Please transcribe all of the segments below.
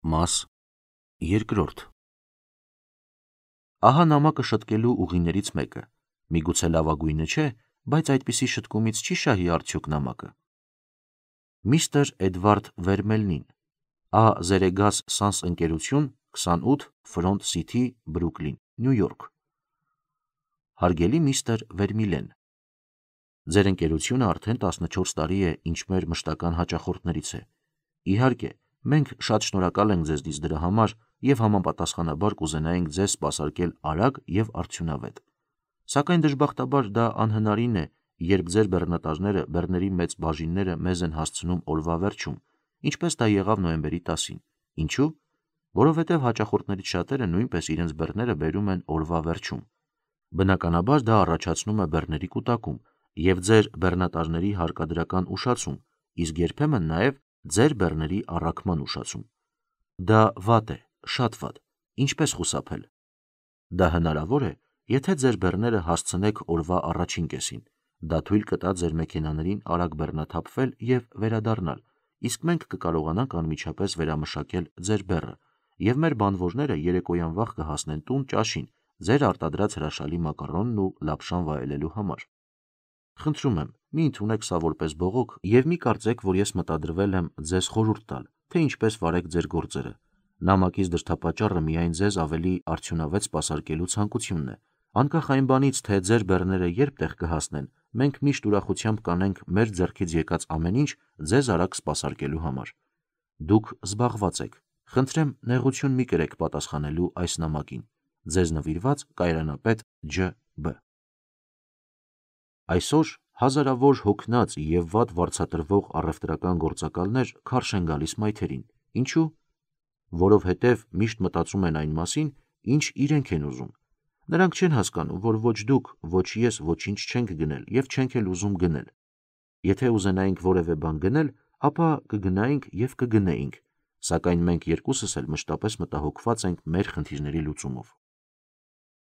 Մաս երկրորդ Ահա նամակը շտկելու ուղիներից մեկը, միգուցե լավագույնը չէ, բայց այդպիսի շտկումից չի շահի արդյոք նամակը։ Միստր Էդվարդ Վերմելնին, Ա. Զերեգաս Սանս ընկերություն, 28 Ֆրոնտ Սիթի, Բրուկլին, Նյու Յորք։ Հարգելի միստր Վերմիլեն, ձեր ընկերությունը արդեն 14 տարի է, ինչ մեր մշտական հաճախորդներից է։ Իհարկե, մենք շատ շնորհակալ ենք ձեզնից դրա համար և համապատասխանաբար կուզենայինք ձեզ սպասարկել արագ և արդյունավետ։ Սակայն դժբախտաբար դա անհնարին է, երբ ձեր բեռնատարները բեռների մեծ բաժինները մեզ են հասցնում օրվա վերջում, ինչպես դա եղավ նոյեմբերի 10-ին։ Ինչու՞։ Որովհետև հաճախորդներից շատերը նույնպես իրենց բեռները բերում են օրվա վերջում։ Բնականաբար դա առաջացնում է բեռների կուտակում և ձեր բեռնատարների հարկադրական ուշացում, իսկ երբեմն նաև ձեր բեռների առաքման ուշացում։ Դա վատ է, շատ վատ։ Ինչպես խուսափել։ Դա հնարավոր է, եթե ձեր բեռները հասցնեք օրվա առաջին կեսին։ Դա թույլ կտա ձեր մեքենաներին արագ բեռնաթափվել և վերադառնալ, իսկ մենք կկարողանանք անմիջապես վերամշակել ձեր բեռը, և մեր բանվորները երեկոյան վաղ կհասնեն տուն ճաշին ձեր արտադրած հրաշալի մակարոնն ու լապշան վայելելու համար։ Խնդրում եմ, մի ընդունեք սա որպես բողոք և մի կարծեք, որ ես մտադրվել եմ ձեզ խորհուրդ տալ, թե ինչպես վարեք ձեր գործերը։ Նամակից դրդապատճառը միայն ձեզ ավելի արդյունավետ սպասարկելու ցանկությունն է։ Անկախ այն բանից, թե ձեր բեռները երբ տեղ կհասնեն, մենք միշտ ուրախությամբ կանենք մեր ձեռքից եկած ամեն ինչ ձեզ արագ սպասարկելու համար։ Դուք զբաղված եք։ Խնդրեմ, նեղություն մի կրեք պատասխանելու այս նամակին։ Ձեզ նվիրված Կայարանապետ Ջ. Բ. Այսօր հազարավոր հոգնած և վատ վարձատրվող առևտրական գործակալներ քարշ են գալիս մայթերին։ Ինչու՞։ Որովհետև միշտ մտածում են այն մասին, ինչ իրենք են ուզում։ Նրանք չեն հասկանում, որ ոչ դուք, ոչ ես ոչինչ չենք գնել և չենք էլ ուզում գնել։ Եթե ուզենայինք որևէ բան գնել, ապա կգնայինք և կգնեինք, սակայն մենք երկուսս էլ մշտապես մտահոգված ենք մեր խնդիրների լուծումով։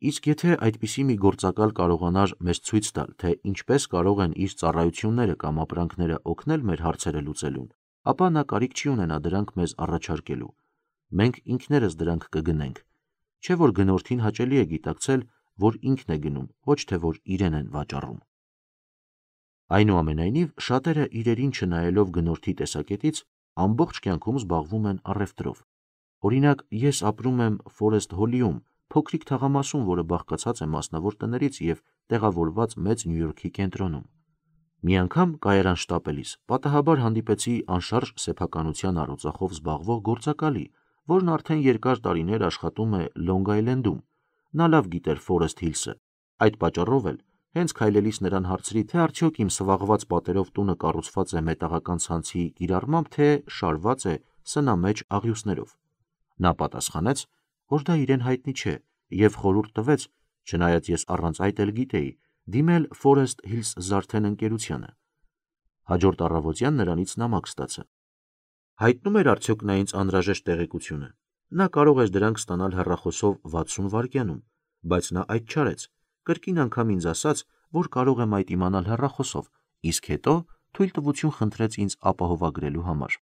Իսկ եթե այդպիսի մի գործակալ կարողանար մեզ ցույց տալ, թե ինչպես կարող են իր ծառայությունները կամ ապրանքները օգնել մեր հարցերը լուծելուն, ապա նա կարիք չի ունենա դրանք մեզ առաջարկելու։ Մենք ինքներս դրանք կգնենք։ Չէ՞ որ գնորդին հաճելի է գիտակցել, որ ինքն է գնում, ոչ թե որ իրեն են վաճառում։ Այնուամենայնիվ, շատերը իրերին չնայելով գնորդի տեսակետից, ամբողջ կյանքում զբաղվում են առևտրով։ Օրինակ, ես ապրում եմ Ֆորեսթ Հոլիում, փոքրիկ թաղամասում, որը բաղկացած է մասնավոր տներից և տեղավորված մեծ Նյու Յորքի կենտրոնում։ Մի անգամ կայարան շտապելիս պատահաբար հանդիպեցի անշարժ սեփականության առօծախով զբաղվող գործակալի, որն արդեն երկար տարիներ աշխատում է Լոնգ Այլենդում։ Նա լավ գիտեր Ֆորեսթ Հիլսը։ Այդ պատճառով էլ, հենց քայլելիս նրան հարցրի, թե արդյոք իմ սվաղված պատերով տունը կառուցված է մետաղական ցանցի կիրառմամբ, թե շարված է սնամեջ աղյուսներով։ Նա պատասխանեց, որ դա իրեն հայտնի չէ և խորհուրդ տվեց, չնայած ես առանց այդ էլ գիտեի, դիմել Ֆորեսթ Հիլս Զարթեն ընկերությանը։ Հաջորդ առավոտյան նրանից նամակ ստացա։ Հայտնում էր արդյոք նա ինձ անհրաժեշտ տեղեկությունը։ Նա կարող էր դրանք ստանալ հեռախոսով 60 վայրկյանում, բայց նա այդ չարեց, կրկին անգամ ինձ ասաց, որ կարող եմ այդ իմանալ հեռախոսով, իսկ հետո թույլտվություն խնդրեց ինձ ապահովագրելու համար։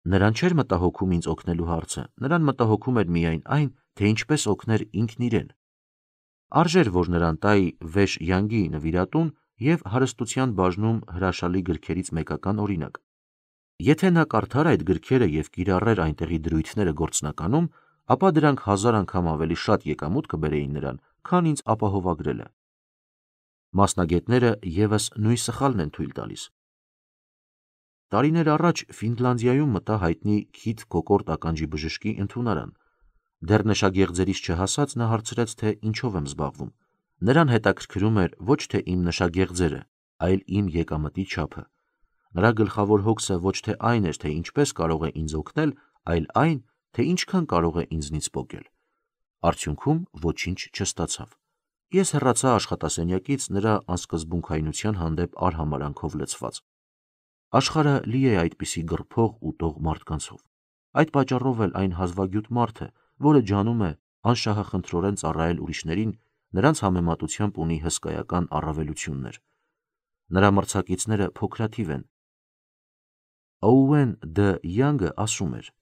Նրան չէր մտահոգում ինձ օգնելու հարցը, նրան մտահոգում էր միայն այն, թե ինչպես օգներ ինքն իրեն։ Արժեր, որ նրան տայի Վեշ Յանգի նվիրատուն և հարստության բաժնում հրաշալի գրքերից մեկական օրինակ։ Եթե նա կարդար այդ գրքերը և կիրառեր այնտեղի դրույթները գործնականում, ապա դրանք 1000 անգամ ավելի շատ եկամուտ կբերեին նրան, քան ինձ ապահովագրելը։ Մասնագետները ևս նույն սխալն են թույլ տալիս։ Տարիներ առաջ Ֆինլանդիայում մտա հայտնի Քիթ Կոկորտ ականջի բժշկի ընդունարան։ Դեռ նշագեղձերից չհասած նա հարցրեց, թե ինչով եմ զբաղվում։ Նրան հետաքրքրում էր ոչ թե իմ նշագեղձերը, այլ իմ եկամտի չափը։ Նրա գլխավոր հոգսը ոչ թե այն էր, թե ինչպես կարող է ինձ օգնել, այլ այն, թե ինչքան կարող է ինձնից պոկել։ Արդյունքում ոչինչ չստացավ։ Ես հեռացա աշխատասենյակից նրա անսկզբունքայնության հանդեպ արհամարհանքով լցված։ Աշխարհը լի է այդպիսի գռփող, ուտող մարդկանցով։ Այդ պատճառով էլ այն հազվագյուտ մարդը, որը ջանում է անշահախնդրորեն ծառայել ուրիշներին, նրանց համեմատությամբ ունի հսկայական առավելություններ։ Նրա մրցակիցները փոքրաթիվ են։ Օուեն Դ. Յանգը ասում էր.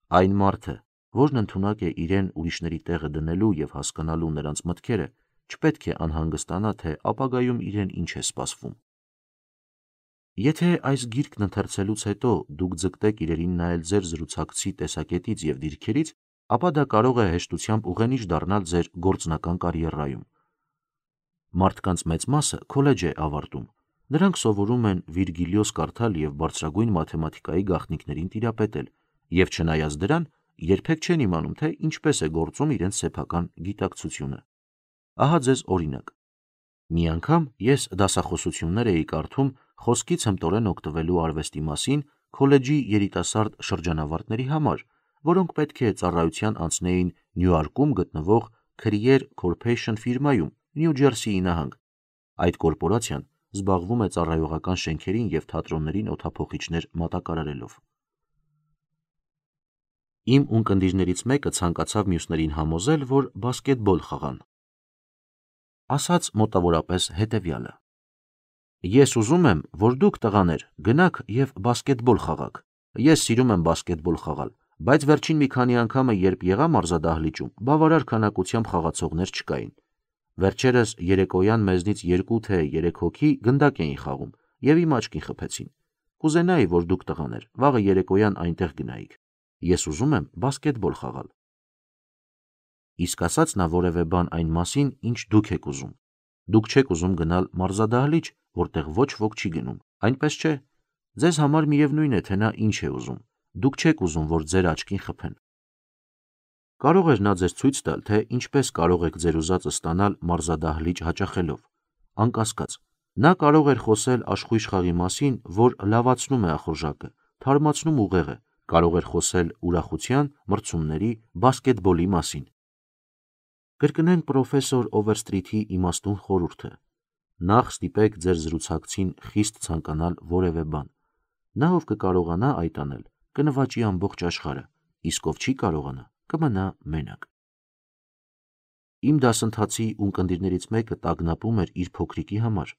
Այն մարդը, որն ընդունակ է իրեն ուրիշների տեղը դնելու և հասկանալու նրանց մտքերը, չպետք է անհանգստանա, թե ապագայում իրեն ինչ է սպասվում։ Եթե այս գիրքն ընթերցելուց հետո դուք ձգտեք իրերին նայել ձեր զրուցակցի տեսակետից և դիրքերից, ապա դա կարող է հեշտությամբ ուղենիշ դառնալ ձեր գործնական կարիերայում։ Մարդկանց մեծ մասը քոլեջ է ավարտում։ Նրանք սովորում են Վիրգիլիոս կարդալ և բարձրագույն մաթեմատիկայի գաղտնիքներին տիրապետել, և չնայած դրան, երբեք չեն իմանում, թե ինչպես է գործում իրենց սեփական գիտակցությունը։ Ահա ձեզ օրինակ։ Մի անգամ ես դասախոսություններ էի կարդում խոսքից հմտորեն օգտվելու արվեստի մասին քոլեջի երիտասարդ շրջանավարտների համար, որոնք պետք է ծառայության անցնեին Նյույորքում գտնվող Career Corporation ֆիրմայում, Նյու Ջերսիի նահանգ։ Այդ կորպորացիան զբաղվում է ծառայողական շենքերին և թատրոններին օդափոխիչներ մատակարարելով։ Իմ ունկնդիրներից մեկը ցանկացավ մյուսներին համոզել, որ բասկետբոլ խաղան։ Ասաց մոտավորապես հետևյալը. Ես ուզում եմ, որ դուք տղաներ գնաք և բասկետբոլ խաղաք։ Ես սիրում եմ բասկետբոլ խաղալ, բայց վերջին մի քանի անգամը, երբ եղա մարզադահլիճում, բավարար քանակությամբ խաղացողներ չկային։ Վերջերս երեկոյան մեզնից 2 թե 3 հոգի գնդակ էին խաղում և իմ աչքին խփեցին։ Կուզենայի, որ դուք տղաներ վաղը երեկոյան այնտեղ գնայիք։ Ես ուզում եմ բասկետբոլ խաղալ։ Իսկ ասաց նա որևէ բան այն մասին, ինչ դուք եք ուզում։ Դուք չեք ուզում գնալ մարզադահլիճ, որտեղ ոչ ոք չի գնում, այնպես չէ։ Ձեզ համար միևնույն է, թե նա ինչ է ուզում։ Դուք չեք ուզում, որ ձեր աչքին խփեն։ Կարող էր նա ձեզ ցույց տալ, թե ինչպես կարող եք ձեր ուզածը ստանալ մարզադահլիճ հաճախելով։ Անկասկած, նա կարող էր խոսել աշխույժ խաղի մասին, որ լավացնում է ախորժակը, թարմացնում ուղեղը, կարող էր խոսել ուրախության, մրցումների, բասկետբոլի մասին։ Կրկնենք պրոֆեսոր Օվերսթրիթի իմաստուն խորհուրդը. նախ ստիպեք ձեր զրուցակցին խիստ ցանկանալ որևէ բան։ Նա, ով կկարողանա այդ անել, կնվաճի ամբողջ աշխարհը, իսկ ով չի կարողանա, կմնա մենակ։ Իմ դասընթացի ունկնդիրներից մեկը տագնապում էր իր փոքրիկի համար։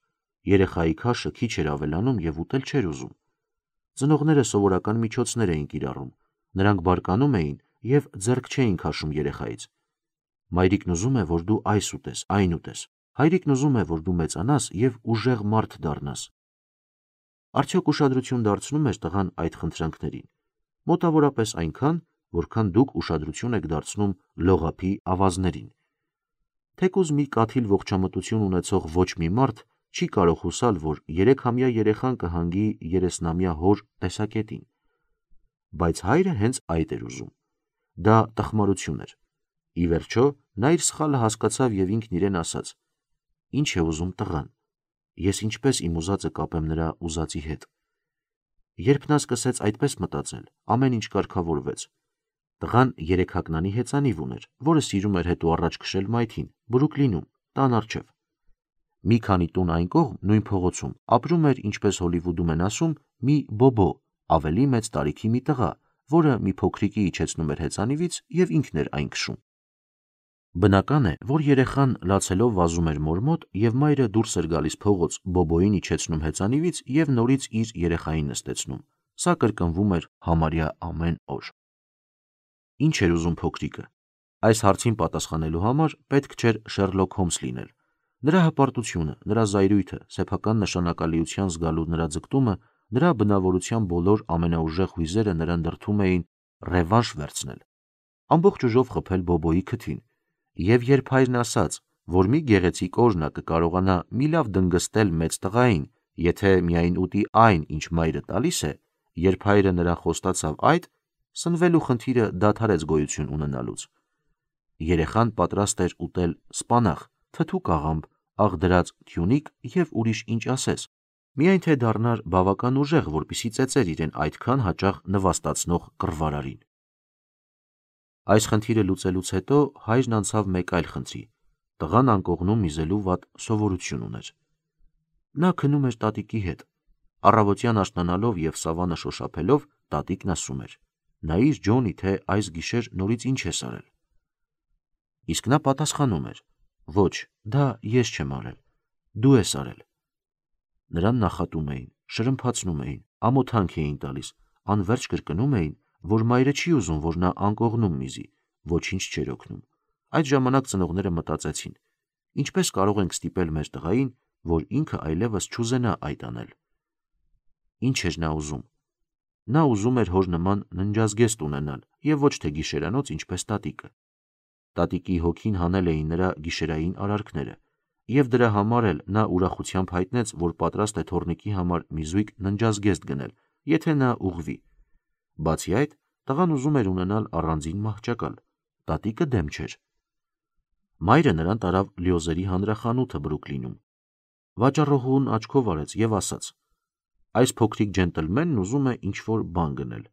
Երեխայի քաշը քիչ էր ավելանում և ուտել չէր ուզում։ Ծնողները սովորական միջոցներ էին կիրառում։ Նրանք բարկանում էին և ձեռք չէին քաշում երեխայից։ Մայրիկն ուզում է, որ դու այս ուտես, այն ուտես։ Հայրիկն ուզում է, որ դու մեծանաս և ուժեղ մարդ դառնաս։ Արդյոք ուշադրություն դարձնում էր տղան այդ խնդրանքներին։ Մոտավորապես այնքան, որքան դուք ուշադրություն եք դարձնում լողափի ավազներին։ Թեկուզ մի կաթիլ ողջամտություն ունեցող ոչ մի մարդ չի կարող հուսալ, որ 3-ամյա երեխան կհանգի 30-ամյա հոր տեսակետին։ Բայց հայրը հենց այդ էր ուզում։ Դա տխմարություն էր։ Ի վերջո, նա իր սխալը հասկացավ և ինքն իրեն ասաց. Ինչ է ուզում տղան։ Ես ինչպես իմ ուզածը կապեմ նրա ուզածի հետ։ Երբ նա սկսեց այդպես մտածել, ամեն ինչ կարգավորվեց։ Տղան 3 հագնանի հեծանիվ ուներ, որը սիրում էր հետ ու առաջ քշել մայթին, Բրուքլինում, տան առջև։ Մի քանի տուն այն կողմ, նույն փողոցում, ապրում էր, ինչպես Հոլիվուդում են ասում, մի բոբո, ավելի մեծ տարիքի մի տղա, որը մի փոքրիկի իջեցնում էր հեծանիվից և ինքն էր այն քշում։ Բնական է, որ երեխան լացելով վազում էր մոր մոտ, և մայրը դուրս էր գալիս փողոց, բոբոյին իջեցնում հեծանիվից և նորից իր երեխային նստեցնում։ Սա կրկնվում էր համարյա ամեն օր։ Ինչ էր ուզում փոքրիկը։ Այս հարցին պատասխանելու համար պետք չէր Շերլոք Հոլմս լինել։ Նրա հպարտությունը, նրա զայրույթը, սեփական նշանակալիության զգալու նրա ձգտումը, նրա բնավորության բոլոր ամենաուժեղ հույզերը նրան դրդում էին ռևանշ վերցնել, ամբողջ ուժով խփել բոբոյի քթին։ Եվ երբ հայրն ասաց, որ մի գեղեցիկ օր նա կկարողանա մի լավ դնգստել մեծ տղային, եթե միայն ուտի այն, ինչ մայրը տալիս է, երբ հայրը նրան խոստացավ այդ, սնվելու խնդիրը դադարեց գոյություն ունենալուց։ Երեխան պատրաստ էր ուտել սպանաղ, թթու կաղամբ, աղդրած թյունիկ և ուրիշ ինչ ասես, միայն թե դառնար բավական ուժեղ, որպեսզի ծեծեր իրեն այդքան հաճախ նվաստացնող կռվարարին։ Այս խնդիրը լուծելուց հետո հայրն անցավ մեկ այլ խնդրի։ Տղան անկողնում միզելու վատ սովորություն ուներ։ Նա քնում էր տատիկի հետ։ Առավոտյան աշնանալով և սավանը շոշափելով, տատիկն ասում էր. նայիր Ջոնի, թե այս գիշեր նորից ինչ ես արել։ Իսկ նա պատասխանում էր. ոչ, դա ես չեմ արել, դու ես արել։ Նրան նախատում էին, շրմփացնում էին, ամոթանք էին տալիս, անվերջ կրկնում էին, որ մայրը չի ուզում, որ նա անկողնում միզի, ոչինչ չէր օգնում։ Այդ ժամանակ ծնողները մտածեցին. ինչպես կարող ենք ստիպել մեր տղային, որ ինքը այլևս չուզենա այդ անել։ Ինչ էր նա ուզում։ Նա ուզում էր հոր նման ննջազգեստ ունենալ եւ ոչ թե գիշերանոց ինչպես տատիկը։ Տատիկի հոգին հանել էին նրա գիշերային արարքները, եւ դրա համար էլ նա ուրախությամբ հայտնեց, որ պատրաստ է թոռնիկի համար մի զույգ ննջազգեստ գնել, եթե նա ուղղվի։ Բացի այդ, տղան ուզում էր ունենալ առանձին մահճակալ, տատիկը դեմ չէր։ Մայրը նրան տարավ լյոզերի հանրախանութը Բրուքլինում։ Վաճառողուն աչքով արեց եւ ասաց. այս փոքրիկ ջենտլմենն ուզում է ինչ-որ բան գնել։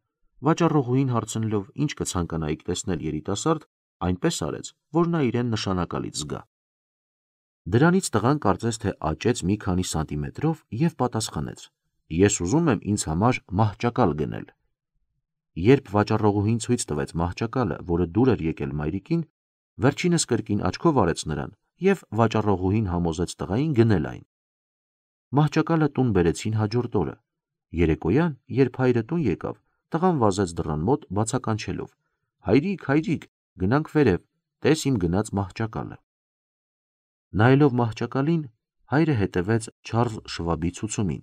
Վաճառողուհին հարցնելով ինչ կցանկանայիք տեսնել երիտասարդ, այնպես արեց, որ նա իրեն նշանակալից զգա։ Դրանից տղան կարծես թե աճեց մի քանի սանտիմետրով եւ պատասխանեց. ես ուզում եմ ինձ համար մահճակալ գնել։ Երբ վաճառողուհին ցույց տվեց մահճակալը, որը դուր էր եկել մայրիկին, վերջինս կրկին աչքով արեց նրան եւ վաճառողուհին համոզեց տղային գնել այն։ Մահճակալը տուն բերեցին հաջորդ օրը։ Երեկոյան, երբ հայրը տուն եկավ, տղան վազեց դռան մոտ բացականչելով. հայրիկ, հայրիկ, գնանք վերև, տես իմ գնաց մահճակալը։ Նայելով մահճակալին, հայրը հետևեց Չարլզ Շվաբի ցուցումին։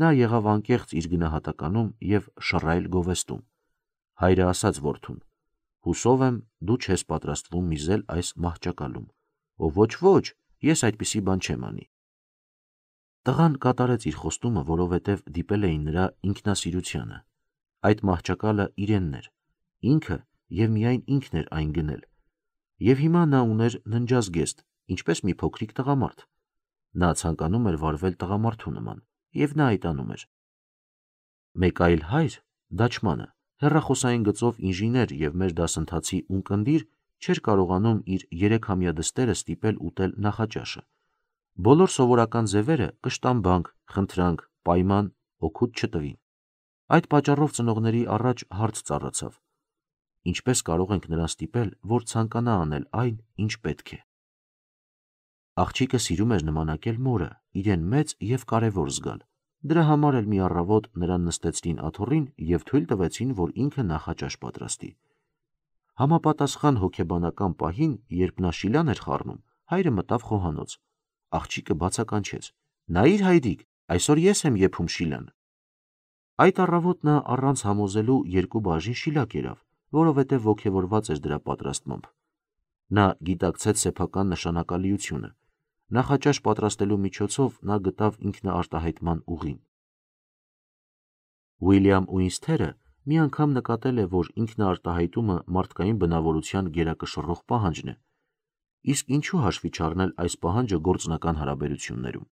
Նա եղավ անկեղծ իր գնահատականում եւ շռայլ գովեստում։ Հայրը ասաց որդուն. հուսով եմ դու չես պատրաստվում միզել այս մահճակալում։ Ով ոչ, ես այդպիսի բան չեմ անի։ Տղան կատարեց իր խոստումը, որովհետև դիպել էին նրա ինքնասիրությանը։ Այդ մահճակալը իրենն էր, ինքը եւ միայն ինքն էր այն գնել։ Եվ հիմա նա ուներ ննջազգեստ, ինչպես մի փոքրիկ տղամարդ։ Նա ցանկանում էր վարվել տղամարդու նման, եւ նա այդ անում էր։ Մեկ այլ հայր, դաչմանը, հեռախոսային գծով ինժեներ եւ մեր դասընթացի ունկնդիր, չէր կարողանում իր 3-ամյա դստերը ստիպել ուտել նախաճաշը։ Բոլոր սովորական ձևերը կշտամբանք, խնդրանք, պայման, օգուտ չտվին։ Այդ պատճառով ծնողների առաջ հարց ծառացավ. ինչպես կարող ենք նրան ստիպել, որ ցանկանա անել այն, ինչ պետք է։ Աղջիկը սիրում էր նմանակել մորը, իրեն մեծ եւ կարևոր զգալ։ Դրա համար էլ մի առավոտ նրան նստեցրին աթոռին եւ թույլ տվեցին, որ ինքը նախաճաշ պատրաստի։ Համապատասխան հոգեբանական պահին, երբ նա շիլան էր խառնում, հայրը մտավ խոհանոց։ Աղջիկը բացականչեց. նայիր հայրիկ, այսօր ես եմ եփում շիլան։ Այդ առավոտ նա առանց համոզելու 2 բաժին շիլա կերավ, որովհետև ոգևորված էր դրա պատրաստմամբ։ Նա գիտակցեց սեփական նշանակալիությունը։ Նախաճաշ պատրաստելու միջոցով նա գտավ ինքնաարտահայտման ուղին։ Ուիլյամ Ուինսթերը մի անգամ նկատել է, որ ինքնաարտահայտումը մարդկային բնավորության գերակշռող պահանջն է, իսկ ինչու հաշվի չառնել այս պահանջը գործնական հարաբերություններում։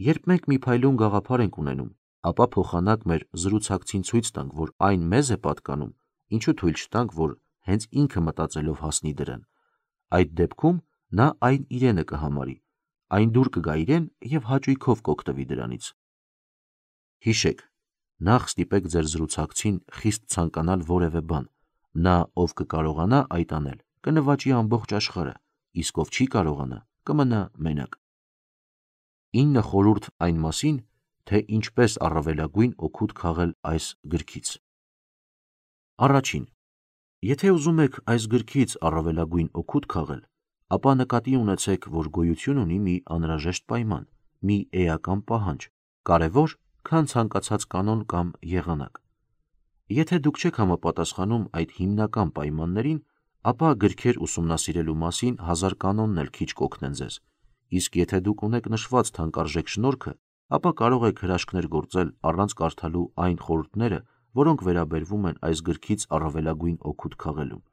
Երբ մենք մի փայլուն գաղափար ենք ունենում, ապա փոխանակ մեր զրուցակցին ցույց տանք, որ այն մեզ է պատկանում, ինչու թույլ չտանք, որ հենց ինքը մտածելով հասնի դրան։ Այդ դեպքում նա այն իրենը կհամարի, այն դուր կգա իրեն եւ հաճույքով կօգտվի դրանից։ Հիշեք, նախ ստիպեք ձեր զրուցակցին խիստ ցանկանալ որևէ բան, նա ով կկարողանա այդ անել, կնվաճի ամբողջ աշխարհը, իսկ ով չի կարողանա, կմնա մենակ։ 9 խորհուրդ այն մասին, թե ինչպես առավելագույն օգուտ քաղել այս գրքից։ Առաջին. Եթե ուզում եք այս գրքից առավելագույն օգուտ քաղել, ապա նկատի ունեցեք, որ գոյություն ունի մի անհրաժեշտ պայման, մի էական պահանջ, կարևոր, քան ցանկացած կանոն կամ եղանակ։ Եթե դուք չեք համապատասխանում այդ հիմնական պայմաններին, ապա գրքեր ուսումնասիրելու մասին 1000 կանոնն էլ քիչ կօգնեն ձեզ, իսկ եթե դուք ունեք նշված թանկարժեք շնորհքը, ապա կարող եք հրաշքներ գործել առանց կարդալու այն խորհուրդները, որոնք վերաբերվում են այս գրքից առավելագույն օգուտ քաղելուն։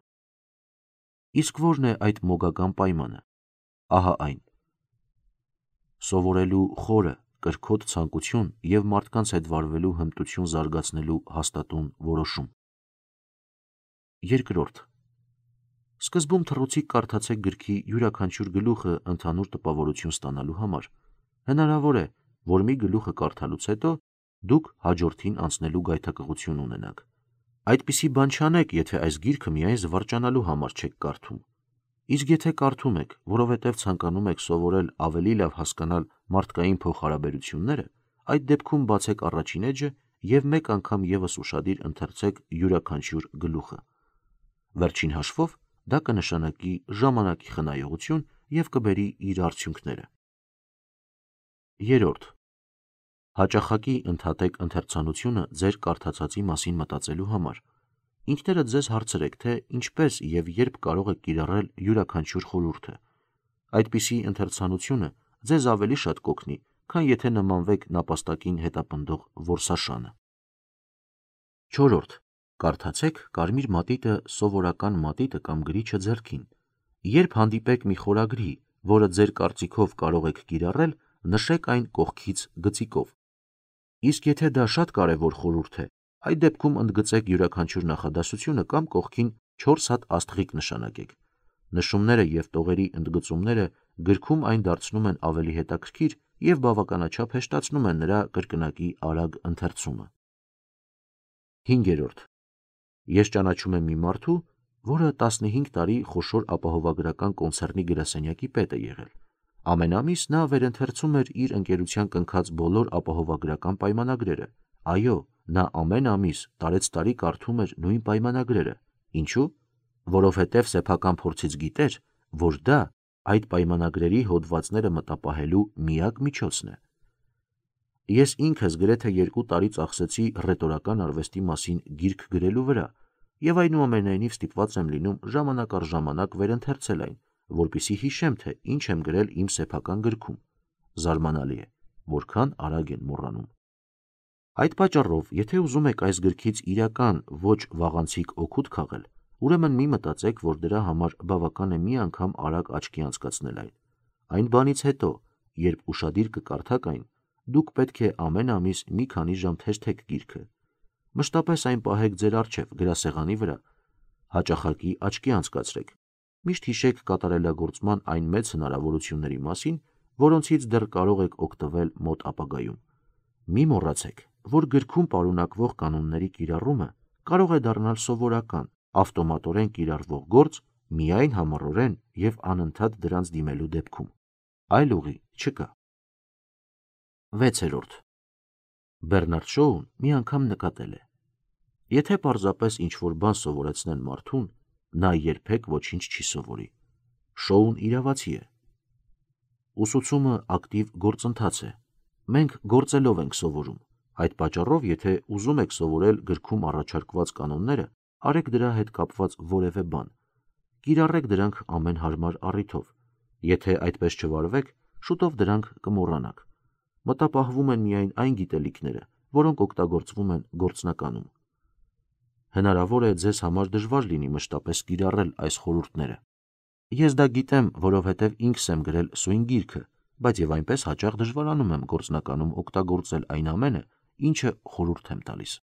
Իսկ ո՞րն է այդ մոգական պայմանը։ Ահա այն. սովորելու խորը, կրքոտ ցանկություն եւ մարդկանց հետ վարվելու հմտություն զարգացնելու հաստատուն որոշում։ Երկրորդ. սկզբում թռուցիկ կարդացեք գրքի յուրաքանչյուր գլուխը ընդհանուր տպավորություն ստանալու համար։ Հնարավոր է, որ մի գլուխը կարդալուց հետո դուք հաջորդին անցնելու գայթակղություն ունենաք։ Այդպիսի բան չանեք, եթե այս գիրքը միայն զվարճանալու համար չեք կարդում։ Իսկ եթե կարդում եք, որովհետև ցանկանում եք սովորել ավելի լավ հասկանալ մարդկային փոխհարաբերությունները, այդ դեպքում բացեք առաջին էջը և մեկ անգամ ևս ուշադիր ընթերցեք յուրաքանչյուր գլուխը։ Վերջին հաշվով դա կնշանակի ժամանակի խնայողություն և կբերի իր արդյունքները։ Երրորդ. հաճախակի ընդհատեք ընթերցանությունը ձեր կարդացածի մասին մտածելու համար։ Ինքներդ ձեզ հարցրեք, թե ինչպես և երբ կարող եք կիրառել յուրաքանչյուր խորհուրդը։ Այդպիսի ընթերցանությունը ձեզ ավելի շատ կօգնի, քան եթե նմանվեք նապաստակին հետապնդող որսաշանը։ Չորրորդ. կարդացեք կարմիր մատիտը սովորական մատիտը կամ գրիչը ձեռքին։ Երբ հանդիպեք մի խորագրի, որը ձեր կարծիքով կարող եք կիրառել, նշեք այն կողքից գծիկով։ Իսկ եթե դա շատ կարևոր խորհուրդ է, այդ դեպքում ընդգծեք յուրաքանչյուր նախադասությունը կամ կողքին 4 հատ աստղիկ նշանակեք։ Նշումները և տողերի ընդգծումները գրքում այն դարձնում են ավելի հետաքրքիր և բավականաչափ հեշտացնում են նրա կրկնակի արագ ընթերցումը։ 5. Ես ճանաչում եմ մի մարդու, որը 15 տարի խոշոր ապահովագրական կոնցեռնի գրասենյակի պետ է եղել։ Ամեն ամիս նա վերընթերցում էր իր ընկերության կնքած բոլոր ապահովագրական պայմանագրերը։ Այո, նա ամեն ամիս տարեցտարի կարդում էր նույն պայմանագրերը։ Ինչու՞։ Որովհետև սեփական փորձից գիտեր, որ դա այդ պայմանագրերի հոդվածները մտապահելու միակ միջոցն է։ Ես ինքս գրեթե 2 տարի ծախսեցի ռետորական արվեստի մասին գիրք գրելու վրա և այնուամենայնիվ ստիպված եմ լինում ժամանակ առ ժամանակ վերընթերցել այն, որպեսզի հիշեմ, թե ինչ եմ գրել իմ սեփական գրքում։ Զարմանալի է, որքան արագ են մոռանում։ Այդ պատճառով, եթե ուզում եք այս գրքից իրական, ոչ վաղանցիկ օգուտ քաղել, ուրեմն մի մտածեք, որ դրա համար բավական է մի անգամ արագ աչքի անցկացնել այն։ Այն բանից հետո, երբ ուշադիր կկարդաք այն, դուք պետք է ամեն ամիս մի քանի ժամ թերթեք գիրքը։ Մշտապես այն պահեք ձեր առջև գրասեղանի վրա։ Հաճախակի աչքի անցկացրեք։ Միշտ հիշեք կատարելագործման այն մեծ հնարավորությունների մասին, որոնցից դեռ կարող եք օգտվել մոտ ապագայում։ Մի մոռացեք, որ գրքում պարունակվող կանոնների կիրառումը կարող է դառնալ սովորական, ավտոմատորեն կիրառվող գործ միայն համառորեն և անընդհատ դրանց դիմելու դեպքում։ Այլ ուղի չկա։ 6. Բեռնարդ Շոուն մի անգամ նկատել է. եթե պարզապես ինչ-որ բան սովորեցնեն մարդուն, նա երբեք ոչինչ չի սովորի։ Շոուն իրավացի է։ Ուսուցումը ակտիվ գործընթաց է։ Մենք գործելով ենք սովորում։ Այդ պատճառով, եթե ուզում եք սովորել գրքում առաջարկված կանոնները, արեք դրա հետ կապված որևէ բան։ Կիրառեք դրանք ամեն հարմար առիթով։ Եթե այդպես չվարվեք, շուտով դրանք կմոռանաք։ Մտապահվում են միայն այն գիտելիքները, որոնք օգտագործվում են գործնականում։ Հնարավոր է ձեզ համար դժվար լինի մշտապես կիրառել այս խորհուրդները։ Ես դա գիտեմ, որովհետև ինքս եմ գրել սույն գիրքը, բայց և այնպես հաճախ դժվարանում եմ գործնականում օգտագործել այն ամենը, ինչը խորհուրդ եմ տալիս։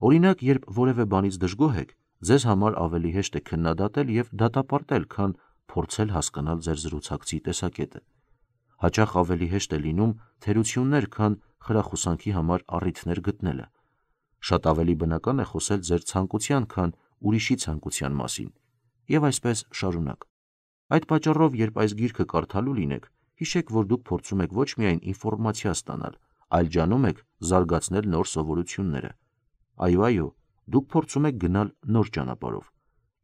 Օրինակ, երբ որևէ բանից դժգոհ եք, ձեզ համար ավելի հեշտ է քննադատել և դատապարտել, քան փորձել հասկանալ ձեր զրուցակցի տեսակետը։ Հաճախ ավելի հեշտ է լինում թերություններ, քան խրախուսանքի համար առիթներ գտնելը։ Շատ ավելի բնական է խոսել ձեր ցանկության, քան ուրիշի ցանկության մասին, և այսպես շարունակ։ Այդ պատճառով, երբ այս գիրքը կարդալու լինեք, հիշեք, որ դուք փորձում եք ոչ միայն ինֆորմացիա ստանալ, այլ ջանում եք զարգացնել նոր սովորությունները։ Այո, դուք փորձում եք գնալ նոր ճանապարհով,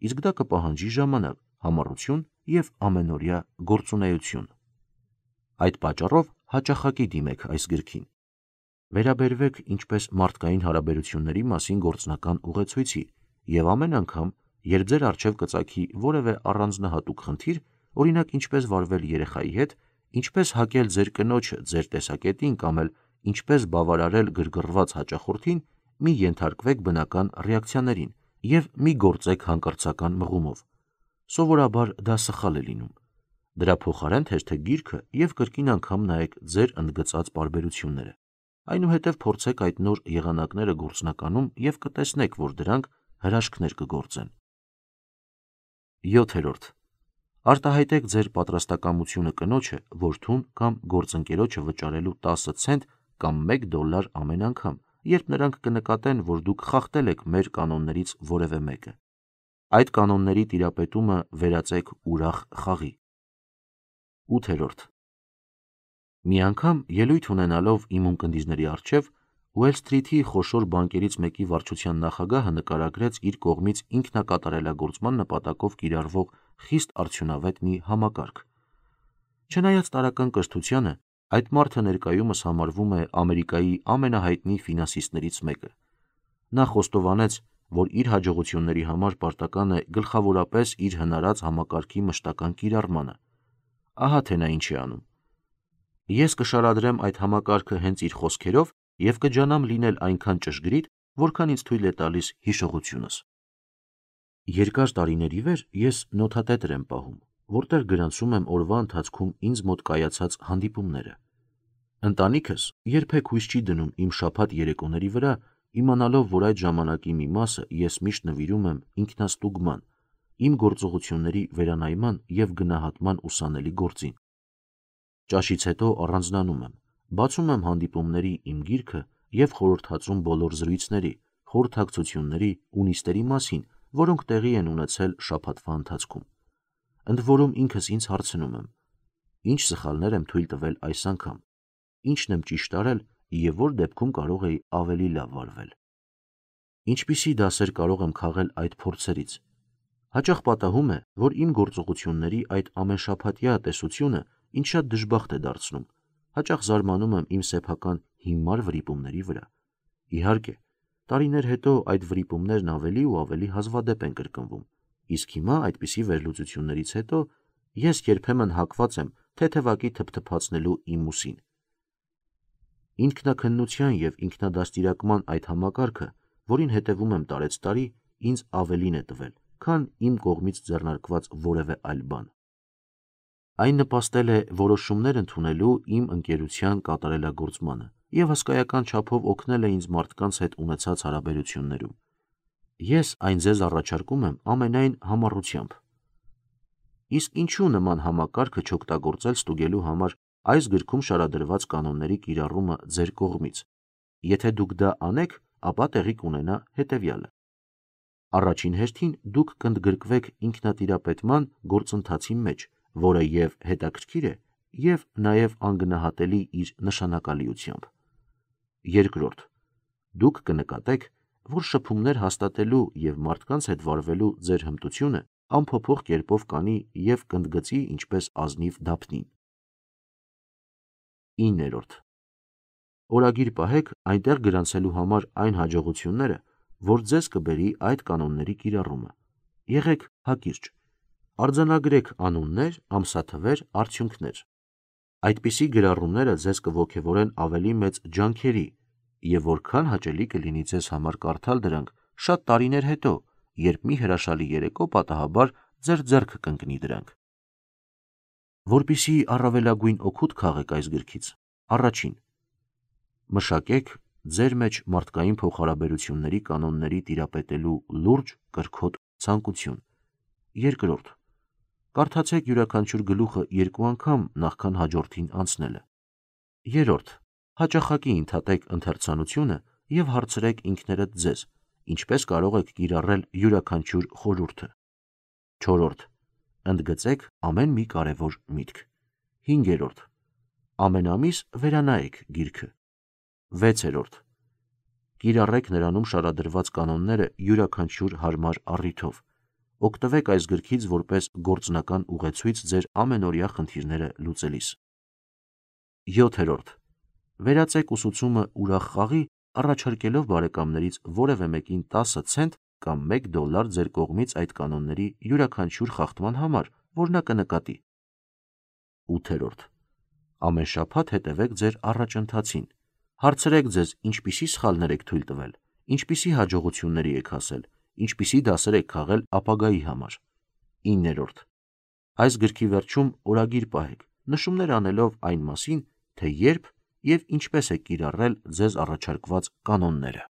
իսկ դա կպահանջի ժամանակ, համառություն և ամենօրյա գործունեություն։ Այդ պատճառով հաճախակի դիմեք այս գրքին։ Վերաբերվեք ինչպես մարդկային հարաբերությունների մասին գործնական ուղեցույցի և ամեն անգամ, երբ ձեր առջև կծագի որևէ առանձնահատուկ խնդիր, օրինակ ինչպես վարվել երեխայի հետ, ինչպես հակել ձեր կնոջը ձեր տեսակետին կամ էլ ինչպես բավարարել գրգռված հաճախորդին, մի ենթարկվեք բնական ռեակցիաներին և մի գործեք հանկարծական մղումով։ Սովորաբար դա սխալ է լինում։ Դրա փոխարեն թերթեք գիրքը և կրկին անգամ նայեք ձեր ընդգծած պարբերությունները։ Այնուհետև փորձեք այդ նոր եղանակները գործնականում և կտեսնեք, որ դրանք հրաշքներ կգործեն։ 7. Արտահայտեք ձեր պատրաստակամությունը կնոջը, որդուն կամ գործընկերոջը վճարելու 10 ցենտ կամ $1 ամեն անգամ, երբ նրանք կնկատեն, որ դուք խախտել եք մեր կանոններից որևէ մեկը։ Այդ կանոնների տիրապետումը վերածեք ուրախ խաղի։ 8. Մի անգամ ելույթ ունենալով իմ ունկնդիրների առջև, Ուել Սթրիթի խոշոր բանկերից մեկի վարչության նախագահը նկարագրեց իր կողմից ինքնակատարելագործման նպատակով կիրառվող խիստ արդյունավետ մի համակարգ։ Չնայած տարրական կրթությանը, այդ մարդը ներկայումս համարվում է Ամերիկայի ամենահայտնի ֆինանսիստներից մեկը։ Նա խոստովանեց, որ իր հաջողությունների համար պարտական է գլխավորապես իր հնարած համակարգի մշտական կիրառմանը։ Ահա թե նա ինչ է անում։ Ես կշարադրեմ այդ համակարգը հենց իր խոսքերով և կջանամ լինել այնքան ճշգրիտ, որքան ինձ թույլ է տալիս հիշողությունս։ Երկար տարիների վեր ես նոթատետր եմ պահում, որտեղ գրանցում եմ օրվա ընթացքում ինձ մոտ կայացած հանդիպումները։ Ընտանիքս երբեք հույս չի դնում իմ շաբաթ երեկոների վրա, իմանալով, որ այդ ժամանակի մի մասը ես միշտ նվիրում եմ ինքնաստուգման, իմ գործողությունների վերանայման և գնահատման ուսանելի գործին։ Ճաշից հետո առանձնանում եմ, բացում եմ հանդիպումների իմ գիրքը և խորհրդածում բոլոր զրույցների, խորհրդակցությունների ու նիստերի մասին, որոնք տեղի են ունեցել շաբաթվա ընթացքում։ Ընդ որում ինքս ինձ հարցնում եմ. ինչ սխալներ եմ թույլ տվել այս անգամ, ինչն եմ ճիշտ արել և որ դեպքում կարող էի ավելի լավ վարվել։ Ինչպիսի դասեր կարող եմ քաղել այդ փորձերից։ Հաճախ պատահում է, որ իմ գործողությունների այդ ամենշաբաթյա տեսությունը ինձ շատ դժբախտ է դարձնում, հաճախ զարմանում եմ իմ սեփական հիմար վրիպումների վրա։ Իհարկե, տարիներ հետո այդ վրիպումներն ավելի ու ավելի հազվադեպ են կրկնվում, իսկ հիմա այդպիսի վերլուծություններից հետո ես երբեմն հակված եմ թեթևակի թփթփացնելու իմ ուսին։ Ինքնաքննության և ինքնադաստիարակման այդ համակարգը, որին հետևում եմ տարեցտարի, ինձ ավելին է տվել, քան իմ կողմից ձեռնարկված որևէ այլ բան։ Այն նպաստել է որոշումներ ընդունելու իմ ընկերության կատարելագործմանը և հսկայական չափով օգնել է ինձ մարդկանց հետ ունեցած հարաբերություններում։ Ես այն ձեզ առաջարկում եմ ամենայն համառությամբ։ Իսկ ինչու նման համակարգը չօգտագործել ստուգելու համար այս գրքում շարադրված կանոնների կիրառումը ձեր կողմից։ Եթե դուք դա անեք, ապա տեղի կունենա հետևյալը. Առաջին հերթին դուք կընդգրկվեք ինքնատիրապետման գործընթացի մեջ, որը և հետաքրքիր է, և նաև անգնահատելի իր նշանակալիությամբ։ Երկրորդ, դուք կնկատեք, որ շփումներ հաստատելու և մարդկանց հետ վարվելու ձեր հմտությունը անփոփոխ կերպով կանի և կընդգծի ինչպես ազնիվ դափնին։ 9. Օրագիր պահեք այնտեղ գրանցելու համար այն հաջողությունները, որ ձեզ կբերի այդ կանոնների կիրառումը։ Եղեք հակիրճ։ Արձանագրեք անուններ, ամսաթվեր, արդյունքներ։ Այդպիսի գրառումները ձեզ կոգևորեն ավելի մեծ ջանքերի, և որքան հաճելի կլինի ձեզ համար կարդալ դրանք շատ տարիներ հետո, երբ մի հրաշալի երեկո պատահաբար ձեր ձեռքը կընկնի դրանք։ Որպեսզի առավելագույն օգուտ քաղեք այս գրքից, առաջին. մշակեք ձեր մեջ մարդկային փոխհարաբերությունների կանոնների տիրապետելու լուրջ, կրքոտ ցանկություն։ Երկրորդ. կարդացեք յուրաքանչյուր գլուխը 2 անգամ, նախքան հաջորդին անցնելը։ Երրորդ. հաճախակի ընդհատեք ընթերցանությունը և հարցրեք ինքներդ ձեզ, ինչպես կարող եք կիրառել յուրաքանչյուր խորհուրդը։ Չորրորդ. ընդգծեք ամեն մի կարևոր միտք։ 5. ամեն ամիս վերանայեք գիրքը։ 6. կիրառեք նրանում շարադրված կանոնները յուրաքանչյուր հարմար առիթով։ Օգտվեք այս գրքից որպես գործնական ուղեցույց ձեր ամենօրյա խնդիրները լուծելիս։ 7. վերածեք ուսուցումը ուրախ խաղի, առաջարկելով բարեկամներից որևէ մեկին 10 ցենտ կամ $1 ձեր կողմից այդ կանոնների յուրաքանչյուր խախտման համար, որ նա կնկատի։ 8. ամեն շաբաթ հետևեք ձեր առաջընթացին։ Հարցրեք ձեզ, ինչպիսի սխալներ եք թույլ տվել, ինչպիսի հաջողությունների եք հասել, ինչպիսի դասեր եք քաղել ապագայի համար։ 9. այս գրքի վերջում օրագիր պահեք, նշումներ անելով այն մասին, թե երբ և ինչպես եք կիրառել ձեզ առաջարկված կանոնները։